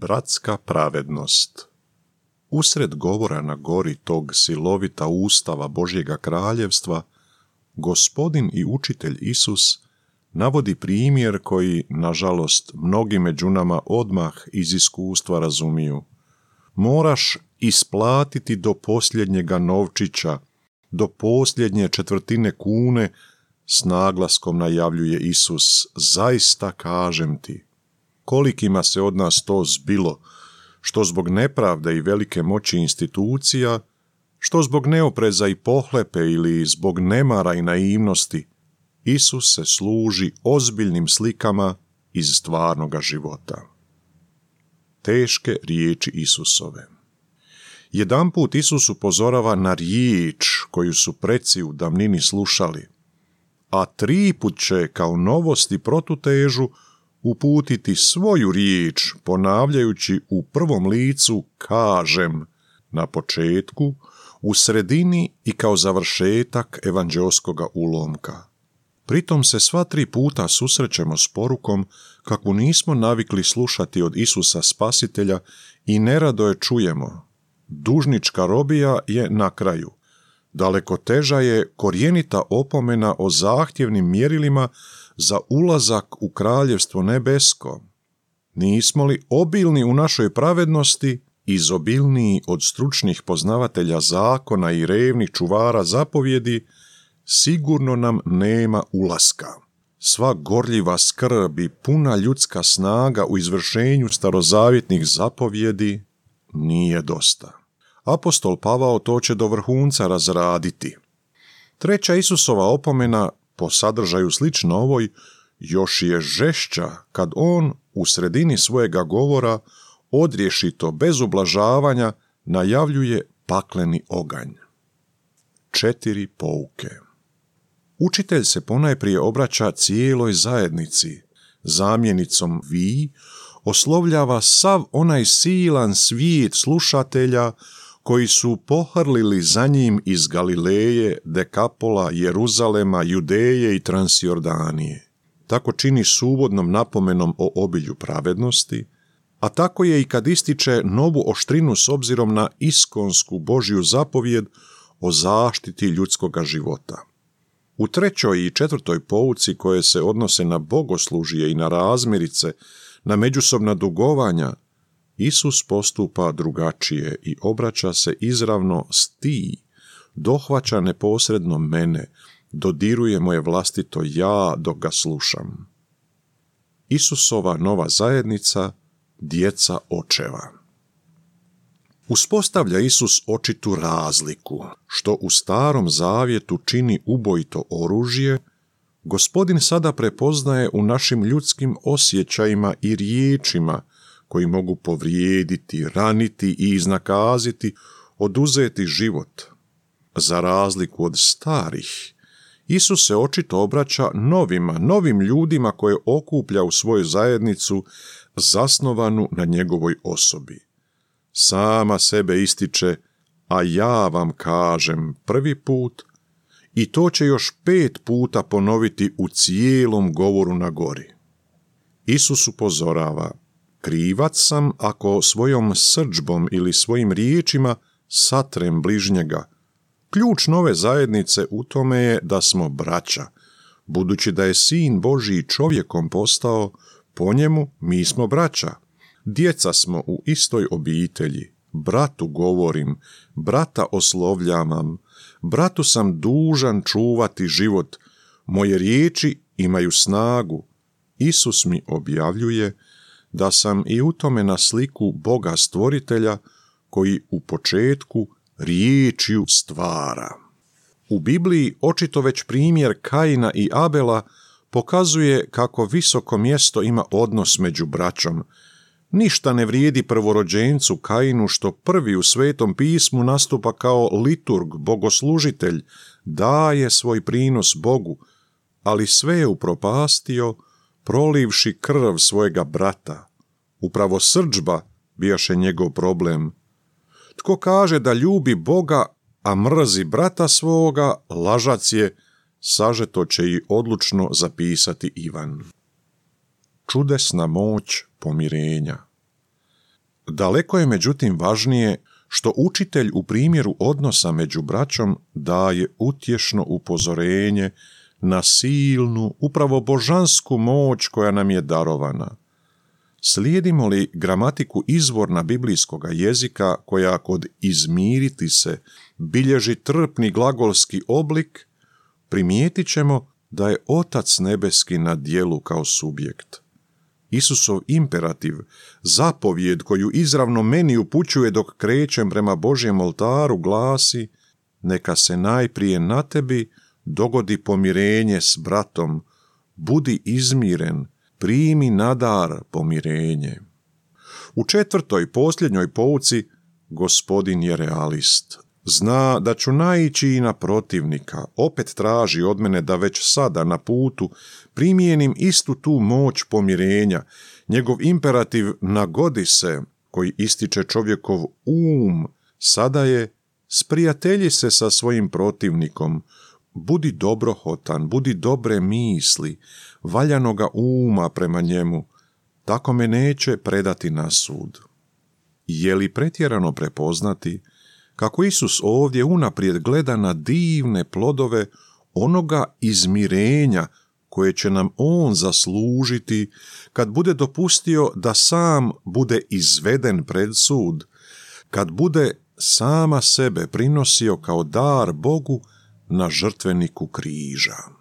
Bratska pravednost. Usred govora na gori tog silovita ustava Božjega kraljevstva, Gospodin i učitelj Isus navodi primjer koji, nažalost, mnogi među nama odmah iz iskustva razumiju. Moraš isplatiti do posljednjega novčića, do posljednje četvrtine kune, s naglaskom najavljuje Isus, zaista kažem ti. Kolikima se od nas to zbilo, što zbog nepravde i velike moći institucija, što zbog neopreza i pohlepe ili zbog nemara i naivnosti, Isus se služi ozbiljnim slikama iz stvarnoga života. Teške riječi Isusove. Jedanput Isus upozorava na riječ koju su preci u davnini slušali, a 3 put će kao novost i protutežu uputiti svoju riječ, ponavljajući u prvom licu kažem na početku, u sredini i kao završetak evanđeoskoga ulomka. Pritom se sva 3 puta susrećemo s porukom kakvu nismo navikli slušati od Isusa Spasitelja i nerado je čujemo. Dužnička robija je na kraju. Daleko teža je korjenita opomena o zahtjevnim mjerilima za ulazak u kraljevstvo nebesko. Nismo li obilni u našoj pravednosti, izobilniji od stručnih poznavatelja zakona i revnih čuvara zapovjedi, sigurno nam nema ulaska. Sva gorljiva skrb i puna ljudska snaga u izvršenju starozavjetnih zapovjedi nije dosta. Apostol Pavao to će do vrhunca razraditi. 3. Isusova opomena, po sadržaju slično ovoj, još je žešća kad on u sredini svojega govora odriješito, bez ublažavanja, najavljuje pakleni oganj. 4 pouke. Učitelj se ponajprije obraća cijeloj zajednici. Zamjenicom vi oslovljava sav onaj silan svijet slušatelja koji su pohrlili za njim iz Galileje, Dekapola, Jeruzalema, Judeje i Transjordanije. Tako čini s uvodnom napomenom o obilju pravednosti, a tako je i kad ističe novu oštrinu s obzirom na iskonsku Božju zapovjed o zaštiti ljudskoga života. U 3. i 4. pouci koje se odnose na bogoslužje i na razmirice, na međusobna dugovanja, Isus postupa drugačije i obraća se izravno s ti, dohvaća neposredno mene, dodiruje moje vlastito ja dok ga slušam. Isusova nova zajednica, djeca očeva. Uspostavlja Isus očitu razliku, što u Starom zavjetu čini ubojito oružje, Gospodin sada prepoznaje u našim ljudskim osjećajima i riječima koji mogu povrijediti, raniti i iznakaziti, oduzeti život. Za razliku od starih, Isus se očito obraća novim ljudima koje okuplja u svoju zajednicu zasnovanu na njegovoj osobi. Sama sebe ističe, a ja vam kažem 1. put, i to će još 5 puta ponoviti u cijelom govoru na gori. Isus upozorava, krivac sam ako svojom srdžbom ili svojim riječima satrem bližnjega. Ključ nove zajednice u tome je da smo braća. Budući da je Sin Božji čovjekom postao, po njemu mi smo braća. Djeca smo u istoj obitelji. Bratu govorim, brata oslovljavam, bratu sam dužan čuvati život. Moje riječi imaju snagu. Isus mi objavljuje da sam i u tome na sliku Boga stvoritelja koji u početku riječju stvara. U Bibliji očito već primjer Kaina i Abela pokazuje kako visoko mjesto ima odnos među braćom. Ništa ne vrijedi prvorođencu Kainu što prvi u Svetom pismu nastupa kao liturg, bogoslužitelj, daje svoj prinos Bogu, ali sve je upropastio, prolivši krv svojega brata. Upravo srdžba bijaše njegov problem. Tko kaže da ljubi Boga, a mrzi brata svoga, lažac je, sažeto će i odlučno zapisati Ivan. Čudesna moć pomirenja. Daleko je međutim važnije što učitelj u primjeru odnosa među braćom daje utješno upozorenje na silnu, upravo božansku moć koja nam je darovana. Slijedimo li gramatiku izvorna biblijskoga jezika koja kod izmiriti se bilježi trpni glagolski oblik, primijetit ćemo da je Otac nebeski na djelu kao subjekt. Isusov imperativ, zapovjed koju izravno meni upućuje dok krećem prema Božjem oltaru, glasi: neka se najprije na tebi dogodi pomirenje s bratom, budi izmiren, primi na dar pomirenje. U 4. posljednjoj pouci Gospodin je realist. Zna da ću naići i na protivnika, opet traži od mene da već sada na putu primijenim istu tu moć pomirenja. Njegov imperativ nagodi se, koji ističe čovjekov sada je: sprijatelji se sa svojim protivnikom, budi dobrohotan, budi dobre misli, valjanoga uma prema njemu, tako me neće predati na sud. Je li pretjerano prepoznati kako Isus ovdje unaprijed gleda na divne plodove onoga izmirenja koje će nam on zaslužiti kad bude dopustio da sam bude izveden pred sud, kad bude sama sebe prinosio kao dar Bogu na žrtveniku križa.